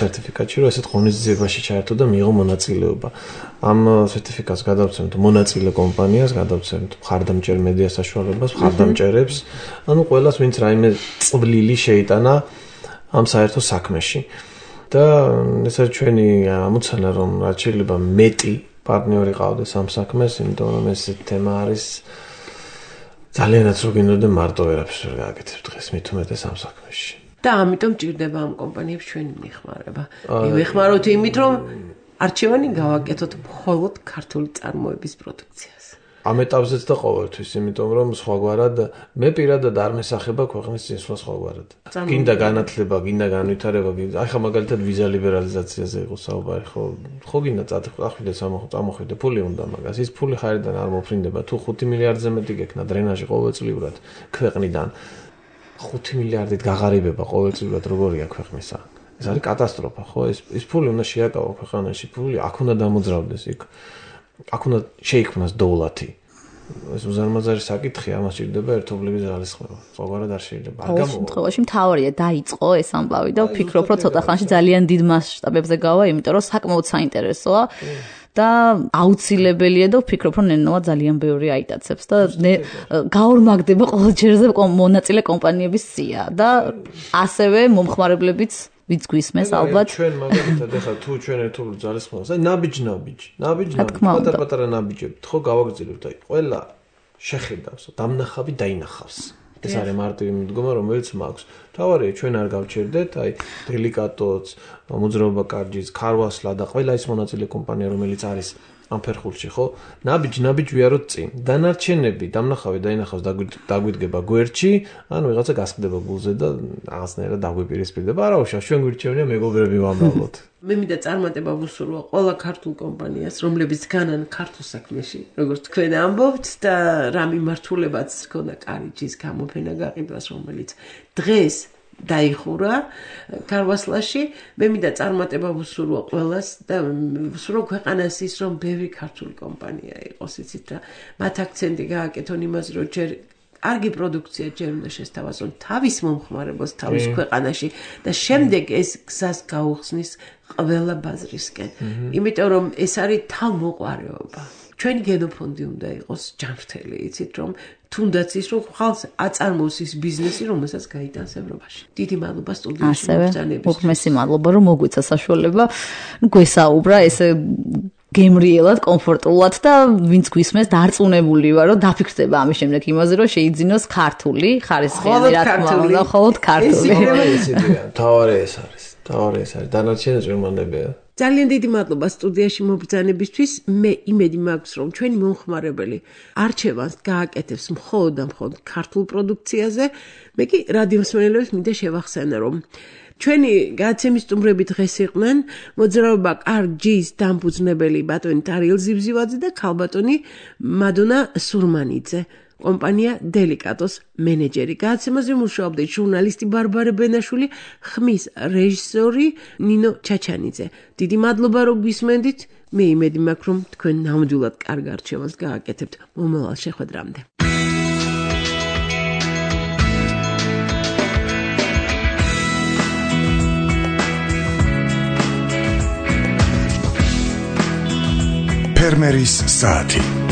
სერტიფიკატში, რომ ესეთ ღონისძიებაში ჩაერთო და მიიღო მონაწილეობა. ამ სერტიფიკატს გადავცემთ მონაწილე კომპანიას, გადავცემთ მხარდამჭერ მედია საშუალებას, მხარდამჭერებს, ანუ ყველას, ვინც რაიმე წვლილი შეიტანა ამ საერთო საქმეში. და ეს არის ჩვენი ამოცანა, რომ რაც შეიძლება მეტი პარტნიორი ყავდეს ამ საქმეს, იმიტომ რომ ეს თემა არის ძალიანაც რო გინდოდე მარტო ვერაფერს ვერ გააკეთებ დღეს, მით უმეტეს ამ საქმეში. და ამიტომ ჭირდება ამ კომპანიებს ჩვენი მიხმარება. მივეხმაროთ იმით, რომ არჩევანი გავაკეთოთ მხოლოდ ქართული წარმოების პროდუქციას. ამ ეტაპზეც და ყოველთვის, იმიტომ რომ სხვაგვარად მე პირადად არ მესახება ქვეყნის წინსვლა სხვაგვარად. გინდა განათლება, გინდა განვითარება, გინდა აი ხა მაგალითად ვიზა ლიბერალიზაციაზე იყო საუბარი, ხო? ხო გინდა წახვიდე წამოხვიდე, ფული უნდა მაგას. ის ფული ხარიდან არ მოფრინდება, თუ ხუთი მილიარდზე მეტი გექნა დრენაჟი ყოველწლიურად ქვეყნიდან. ხუთი მილიარდით გაღარიბება ყოველწლიურად როგორია ქვეყნისა? ეს არის კატასტროფა, ხო? ეს ეს ფული უნდა შეაკავო ქვეყანაში, ფული აქ უნდა დამოძრავდეს იქ. აქ უნდა შეიქმნას დოვლათი. ეს უზარმაზარი საკითხია, ამას ჭირდება ერთობლივი ძალისხმევა. სხვაგვარად არ შეიძლება. არ გამოვა. შემთხვევაში მთავარია დაიწყო ეს ამბავი და ვფიქრობ, რომ ცოტა ხანში ძალიან დიდ მასშტაბებზე გავა, იმიტომ რომ საკმაოდ საინტერესოა და აუცილებელია და ვფიქრობ, რომ ნენოა ძალიან ბევრი აიტაცებს და გაორმაგდება ყოველ ჯერზე მონაწილე კომპანიების სია და ასევე მომხმარებლებიც ვიც გვისმეს ალბათ. ჩვენ მაგალითად ახლა თუ ჩვენ ერთობლივ ძალისხმევას, აი ნაბიჯ-ნაბიჯ, ნაბიჯ-ნაბიჯ, პატარ-პატარა ნაბიჯები, ხო გავაგრძელებთ, აი ყველა შეხედავს, დამნახავი დაინახავს. ეს არის მარტივი მიდგომა, რომელიც მაქვს. თავარია ჩვენ არ გავჩერდეთ, აი დელიკატოც, მოძრაობა კარჯის, ქარვასლა და ყველა ის მონაწილე კომპანია, რომელიც არის ამ ფერხულში, ხო? ნაბიჯ-ნაბიჯ ვიაროთ წინ. დანარჩენები, დამნახავი დაინახავს, დაგვიდგება გვერდში, ან ვიღაცა გასხდება გულზე და რაღაცნაირად დაგვიპირისპირდება. არა უშავს, ჩვენ გვირჩევნია მეგობრები ვამბობთ. მე მინდა წარმატება ვუსურვო ყველა ქართულ კომპანიას, რომლებიც განან ქართულ საქმეში, როგორც თქვენ ამბობთ და რა მიმართულებაც ჰქონდა კარიჯის გამოფენა გაყიდვას, რომელიც დღეს დაიხურა ქარვასლაში. მე მინდა წარმატება ვუსურვო ყველას და ვუსურვო ქვეყანას ის, რომ ბევრი ქართული კომპანია იყოს, იცით რა. მათ აქცენტი გააკეთონ იმაზე, რომ ჯერ კარგი პროდუქცია ჯერ უნდა შესთავაზონ თავის მომხმარებელს თავის ქვეყანაში და შემდეგ ეს გზას გაუხსნის ყველა ბაზრისკენ. იმიტომ რომ ეს არის თავმოყარეობა. ჩვენი გენოფონდი უნდა იყოს ჯანმრთელი, იცით რომ თუნდაც ის რომ ხალხს აწარმოოს ის ბიზნესი, რომელსაც გაიტანს ევროპაში. დიდი მადლობა სტუდიაში მოგზაურობისთვის. უღმესი მადლობა რომ მოგვიცა საშუალება გვესაუბრა ესე გემრიელად, კომფორტულად და ვინც გვისმენს დარწმუნებული ვარ, რომ დაფიქრდება ამის შემდეგ იმაზე, რომ შეიძინოს ქართული ხარისხიანი რა თქმა უნდა, მხოლოდ ქართული. თავარი ეს არის. თავარი ეს არის. დანარჩენი ჭირმანდებია. ძალიან დიდი მადლობა სტუდიაში მობრძანებისთვის. მე იმედი მაქვს, რომ ჩვენი მომხმარებელი არჩევანს გააკეთებს მხოლოდ და მხოლოდ ქართულ პროდუქციაზე. მე კი რადიო მსმენელებს მინდა შევახსენო, რომ ჩვენი გადაცემის სტუმრები დღეს იყვნენ მოძრაობა კარჯის დამფუძნებელი ბატონი ტარიელ ზივზივაძე და ქალბატონი მადონა სურმანიძე. კომპანია დელიკატოს მენეჯერი. გადაცემაზე მუშაობდა ჟურნალისტი ბარბარე ბენაშვილი, ხმის რეჟისორი ნინო ჩაჩანიძე. დიდი მადლობა რომ გვისმენდით. მე იმედი მაქვს რომ თქვენ ნამდვილად კარგ არჩევანს გააკეთებთ მომავალ შეხვედრამდე. ფერმერის საათი